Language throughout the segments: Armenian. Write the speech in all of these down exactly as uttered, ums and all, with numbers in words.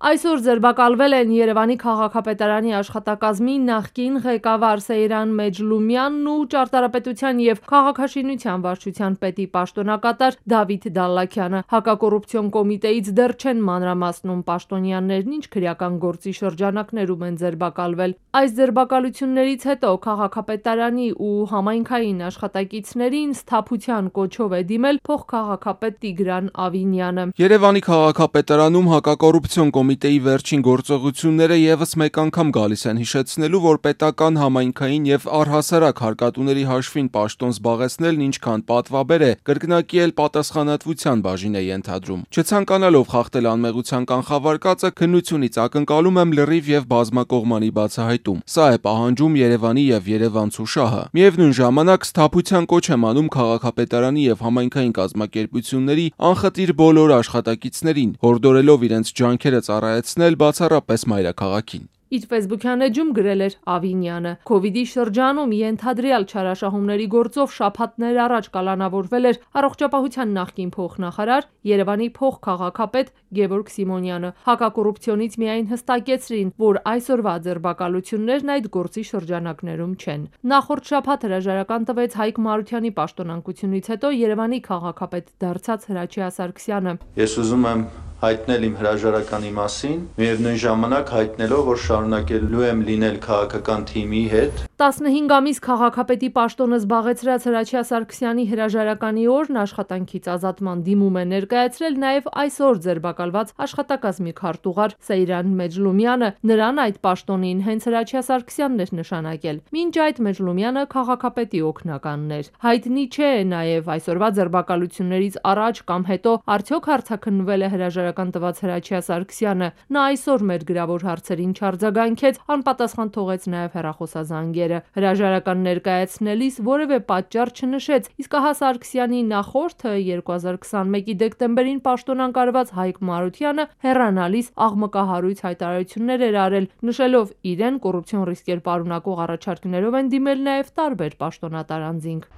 Այսօր ձերբակալվել են Երևանի քաղաքապետարանի աշխատակազմի նախկին ղեկավար Սեյրան Մեջլումյանն ու ճարտարապետության և քաղաքաշինության վարչության պետի պաշտոնակատար Դավիթ Դալլաքյանը։ Հակակոռուպցիոն կոմիտեից դեռ չեն մանրամասնում պաշտոնյաներն ինչ քրեական գործի շրջանակներում են ձերբակալվել։ Այս ձերբակալություններից հետո քաղաքապետարանի ու համայնքային աշխատակիցներին սթափության կոչով է դիմել փոխքաղաքապետ Տիգրան Ավինյանը։ Երևանի քաղաքապետարանում հակակոռուպցիոն կոմիտեի վերջին գործողությունները եւս մեկ անգամ գալիս են հիշեցնելու, որ պետական, համայնքային եւ առհասարակ հարկատուների հաշվին պաշտոն զբաղեցնելն ինչքան պատվաբեր է, կրկնակի էլ պատասխանատվության բաժին է ենթադրում։ Չցանկանալով խախտել անմեղության կանխավարկածը, քննությունից ակնկալում եմ լրիվ եւ բազմակողմանի բացահայտում։ Սա է պահանջում Երևանի եւ երևանցու շահը։ Միևնույն ժամանակ սթափության կոչ եմ անում քաղաքապետարանի եւ համայնքային կազմակերպությունների անխտիր բոլոր աշխատակիցներին, հորդորելով իրենց ջանքերը ծառայեցնել բացառապես մայրաքաղաքին։ Իր ֆեյսբուքյան էջում գրել էր Ավինյանը։ Քովիդի շրջանում ենթադրյալ չարաշահումների գործով շաբաթներ առաջ կալանավորվել էր առողջապահության նախկին փոխնախարար, Երևանի փոխքաղաքապետ Գևորգ Սիմոնյանը։ Հակակոռուպցիոնից միայն հստակեցրին, որ այսօրվա ձերբակալություններն այդ գործի շրջանակներում չեն։ Նախորդ շաբաթ հրաժարական տվեց Հայկ Մարությանի պաշտոնակությունից հետո Երևանի քաղաքապետ դարձած Հրաչյա Սարգսյանը։ Ես ուզում եմ հայտնել իմ հրաժարականի մասին, միևնույն ժամանակ հայտնելով, որ շարունակելու եմ լինել քաղաքական թիմի հետ։ տասնհինգ ամիս քաղաքապետի պաշտոնը զբաղեցրած Հրաչյա Սարգսյանի հրաժարականի օրն աշխատանքից ազատման դիմում է ներկայացրել նաև այսօր ձերբակալված աշխատակազմի քարտուղար Սեյրան Մեջլումյանը։ Նրան այդ պաշտոնին հենց Հրաչյա Սարգսյանն էր նշանակել։ Մինչ այդ Մեջլումյանը քաղաքապետի օգնականն էր։ Հայտնի չէ նաև այսօրվա ձերբակալություններից առաջ կամ հետո արդյոք հարցաքննվել է հրաժարական տված Հրաչյա Սարգսյանը։ Նա այսօր մեր գրավոր հարցերին չարձագանքեց, անպատասխան թողեց նաև հեռախոսազանգերը։ Հրաժարական ներկայացնելիս որևէ պատճառ չնշեց, իսկ ահա Սարգսյանի նախորդը երկու հազար քսանմեկի դեկտեմբերին պաշտոնանկարված Հայկ Մարությանը հեռանալիս աղմկահարույց հայտարարություններ էր արել, նշելով իրեն կոռուպցիոն ռիսկեր պարունակող առաջարկներով են դիմել նաև տարբեր պաշտոնատար անձինք։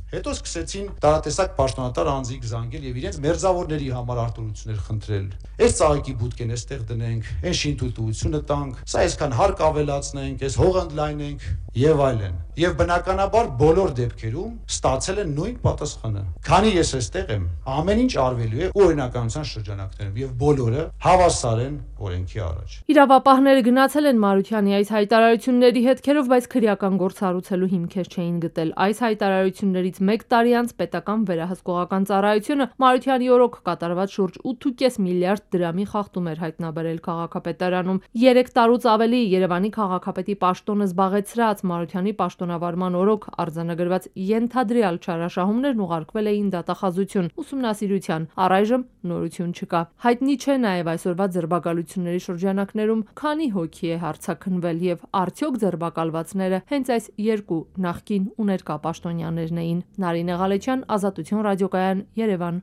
Հետո սկսեցին տարատեսակ պաշտոնատար անձինք զանգել եւ իրենց մերձավորների համար արտոնություններ խնդրել։ Այս ծաղիկի բուտկեն էստեղ դնենք, այն շինթույլտվությունը տանք, սա այսքան հարկ ավելացնենք, այս հողը ընդլայնենք եւ այլն։ Եվ բնականաբար բոլոր դեպքերում ստացել են նույն պատասխանը։ Քանի ես այստեղ եմ, ամեն ինչ արվելու է օրինականության շրջանակներում եւ բոլորը հավասար են օրենքի առաջ։ Իրավապահները գնացել են Մարությանի այս հայտարարությունների հետքերով, բայց քրեական գործ հարուցելու հիմքեր չէին գտել։ Այս հայտարարություններից մեկ տարի անց պետական վերահսկողական ծառայությունը Մարությանի օրոք կատարված շուրջ ութ ու կես միլիարդ դրամի խախտում էր հայտնաբերել քաղաքապետարանում։ Երեք տարուց ավելի Երևանի քաղաքապետի պաշտոնը զբաղեցրած Մարությանի պաշտոնավարման օրոք արձանագրված ենթադրյալ չարաշահումներն ուղարկվել էին դատախազություն ուսումնասիրության։ Առայժմ նորություն չկա։ Հայտնի չէ նաև այսօրվա ձերբակալությունների շրջանակներում քանի հոգի է հարցաքննվել եւ արդյոք ձերբակալվածները հենց այս երկու նախկին ու ներկա պաշտոնյաներն էին։ Նարինե Ղալեչյան, Ազատություն ռադիոկայան, Երևան։